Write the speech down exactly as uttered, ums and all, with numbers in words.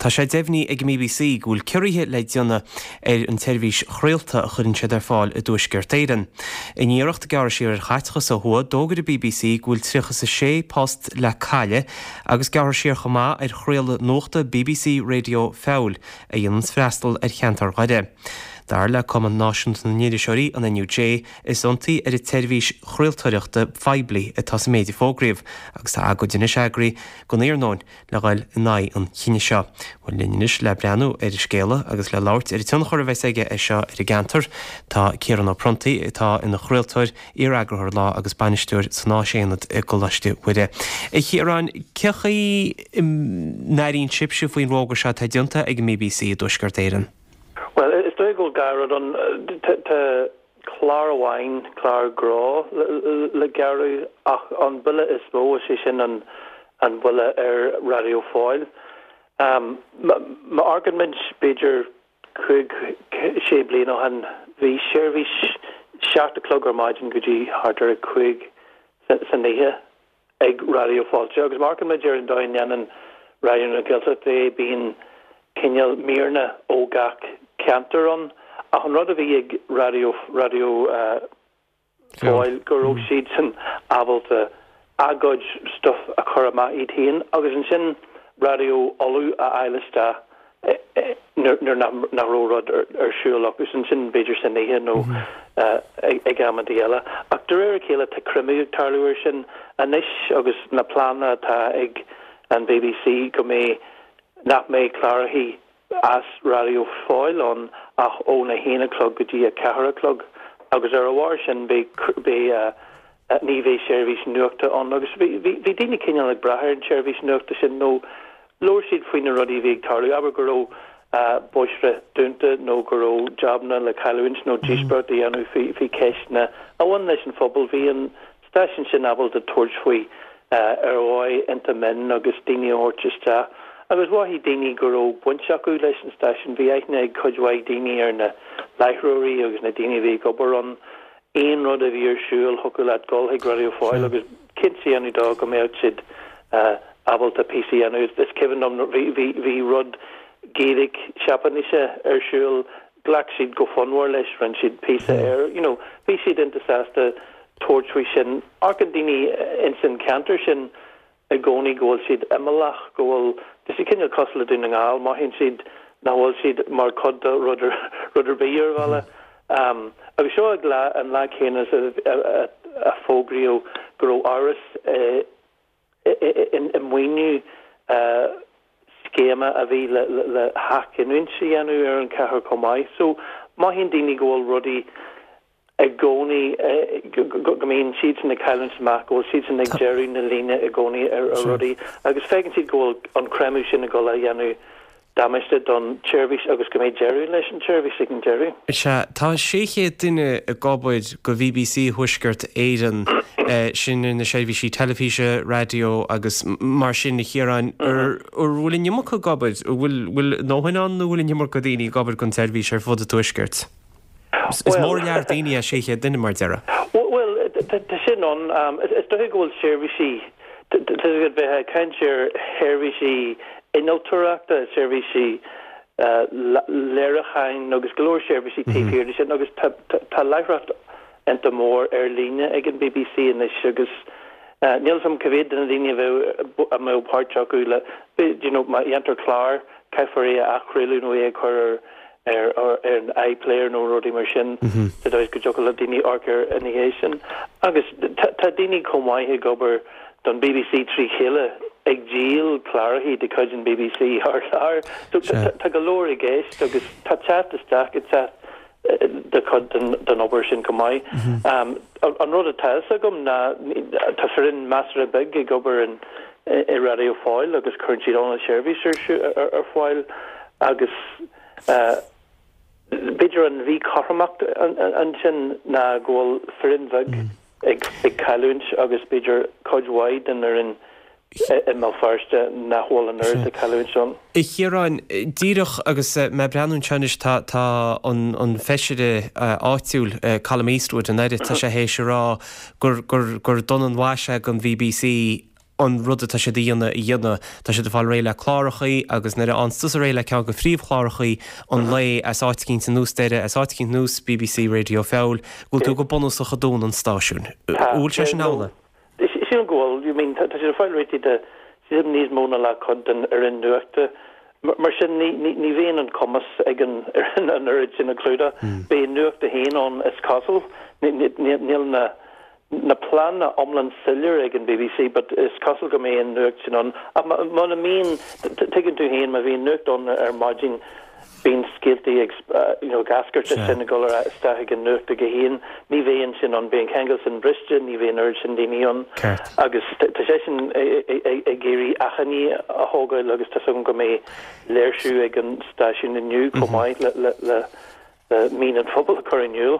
Tá sé deimhnithe ag an B B C go bhfuil ciorruithe le déanamh ar an tseirbhís chraolta a chuireann siad ar fáil i dTuaisceart Éireann. In iarracht gearradh siar ar chaiteachas ó thuaidh, d'fhógair an B B C go bhfuil tríocha a sé post le cailleadh agus gearrfar siar chomh maith ar chraoladh nuachta B B C Radio Feabhail a dhéanann freastal ar cheantar Dhoire. Dar le Cumann Náisiúnta na nIriseoirí, an N U J, is ionsaí ar an tseirbhís chraoltóireachta phoiblí atá sa méid a fógraíodh agus tá agóid anois eagraithe don iarnóin le dhul in aghaidh an chinnidh seo. Bhuel, linn anois le breathnú ar an scéala agus le labhairt ar an tionchar a bheas aige é seo ar an gceantar, tá Ciarán Ó Pronntaigh, atá ina chraoltóir, iar-eagarthóir Lá agus bainisteoir san Áisaonad i gColáiste Mhuire. A Chiaráin, cén chaoi a n-airíonn sibhse faoin bhfógra seo atá déanta ag an B B C i dTuaisceart Éireann? Well, is dóigh go dhá rud ann. Tá clár amháin, clár grá, le gearradh, ach an buille is mó, is é sin an an buille ar Raidió Fáil. Um, má amharcann muid b'fhéidir cúig sé bliain ó shin, bhí seirbhís seacht a chlog ar maidin go dtí thart ar a cúig san oíche ag Raidió Fáilte, agus má amharcann muid ar an dóigh a ndéanann Raidió na Gaeltachta é, bíonn cineál míreanna ó gach ceantar ann, ach an rud a bhí ag Raidió Raidió uh, Fáil go raibh siad san ábalta a gcuid stuff a chur amach iad féin agus ansin Raidió Uladh a fháil isteach nuair nach raibh rud ar siúl agus ansin b'fhéidir san oíche nó ag amantaí eile. Ach de réir a chéile tá creimeadh ag tarlú ar sin anois agus na pleananna atá ag an B B C go mbeidh nach mbeidh cláracha as Raidió Fáil ann ach óna haon a chlog go dtí a ceathair a chlog, agus ar a bharr sin beidh ní bheidh seirbhís nuachta ann. Agus bhí daoine cineál ag brath ar an tseirbhís nuachta sin nó labhair siad faoi na rudaí a bhí ag tarlú, abair go raibh bóithre dúnta nó go raibh jabanna le cailliúint nó díospóireacht a dhéanamh faoi faoi cheisteanna a bhain leis an phobal. Bhí an stáisiún sin ábalta tabhairt faoi ar dhóigh iontach mion agus daoine a thabhairt isteach, agus mhothaigh daoine go raibh baint acu leis an stáisiún. Bhí aithne ag cuid mhaith daoine ar na láithreoirí agus na daoine a bhí ag obair ann. Aon rud a bhí ar siúl, thiocfadh leat dul chuig Raidió Fáil agus cinnte a dhéanamh dó go mbeadh siad ábalta píosa a dhéanamh. Is cuimhin liom bhí bhí bhí rud Gaeilge Seapáinise ar siúl, ghlac siad go fonnmhar leis, rinne siad píosa air you know bhí siad iontach sásta tabhairt faoi sin. Amharcann daoine ins an ceantar sin i gcónaí go bhfuil siad imeallach, go bhfuil tá siad cineál cosúil le Dún na nGall, mothaíonn siad nach bhfuil siad mar chuid de rud ar rud ar bith ar bhealach. Um, agus seo ag lá an lá céanna a, a, a fógraíodh go raibh amhras i maoiniú scéime a bhí le, le, le hathghiniúint a dhéanamh ar an chathair chomh maith. So mothaíonn daoine go bhfuil rudaí i gcónaí go mbíonn siad sin ag cailliúint amach, go bhfuil siad sin ag deireadh na líne i gcónaí ar ar rudaí, agus feiceann siad go bhfuil an creimeadh sin ag dul a dhéanamh damáiste don tseirbhís agus go mbeidh deireadh leis an tseirbhís ag an deireadh. Sea, tá sé chéad duine ag obair do B B C Thuaisceart Éireann, sin na seirbhísí teilifíse, raidió agus mar sin, a Chiaráin. Ar bhfuil an iomarca ag obair, bhfuil bhfuil a ndóthain ann nó bhfuil an iomarca daoine ag obair don tseirbhís ar fud an tuaiscirt? Is mór lear daoine é sé chéad duine mar deireadh. Well, tá sin ann. Is dóigh go bhfuil seirbhísí bheith ag caint ar sheirbhísí innealtóireachta, seirbhísí léiriúcháin agus go leor seirbhísí taobh thiar de sin, agus tá láithreacht iontach mór ar líne ag an B B C anois, agus níl a fhios agam cá mhéad de na daoine a bheadh a mbeadh páirt acu le you know má dhéantar clár, caithfear é a athchraoladh nó é a chur ar ar ar an iPlayer nó rudaí mar sin sa dóigh go dtiocfadh le daoine amharc air ina dhiaidh sin. Agus tá daoine chomh maith ag obair don B B C trí chéile ag díol cláracha de chuid an B B C thar lear. So tá go leor i gceist agus tá teacht isteach ag teacht de chuid den, den obair sin go maith. Um, an rud atá agam ná tá foireann measartha beag ag obair in i Raidió Fáil agus cuireann siad an seirbhís ar, ar fáil, agus uh, b'fhéidir an mhíchothromacht ansin ná go bhfuil foireann bheag mm. ag, ag cailliúint agus b'fhéidir cuid mhaith den fhoireann i mBéal Feirste nach bhfuil an oiread de chailliúint ann. A Chiaráin, díreach agus mé ag breathnú anois, tá tá an an feisire áitiúil, Colum Eastwood, an aire, tá sé théis a rá gur gur gur dona an mhaise don B B C. an rud atá siad a dhéanamh a dhéanamh. Tá siad ag fáil réidh le clárachaí agus nuair a fhaigheann tusa réidh le ceann de phríomhchlárachaí an lae as áit eicínt anuas deireadh, as áit eicínt anuas BBC Radio Feabhail, go bhfuil tú go bunúsach ag dúnadh an stáisiúin. An bhfuil sé sin amhlaidh? Sílim go bhfuil. You mean, tá siad ag fáil réitithe de, sílim níos mó ná leathchuid den fhoireann nuachta. Mar sin ní ní bhíonn an cumas ag an fhoireann an oiread sin a chlúdach. Beidh Nuacht a haon ann is cosúil. Níl na na pleananna iomlán soiléir ag an BBC but is cosúil go mbeidh an nuacht sin ann. Ach muna mbíonn, tuigeann tú féin, má bhíonn nuacht ann ar maidin bíonn scéaltaí ag you know ag eascairt as sin ag dul ar isteach ag an nuacht ag a haon. Ní bheidh an sin ann, beidh an ceangal sin briste, ní bheidh an oiread sin daoine ann. Agus tá sé sin ag iarraidh achainí a thógáil agus tá súil agam go mbeidh léirsiú ag an stáisiún inniu chomh maith le le le mian an phobail a chur in iúl.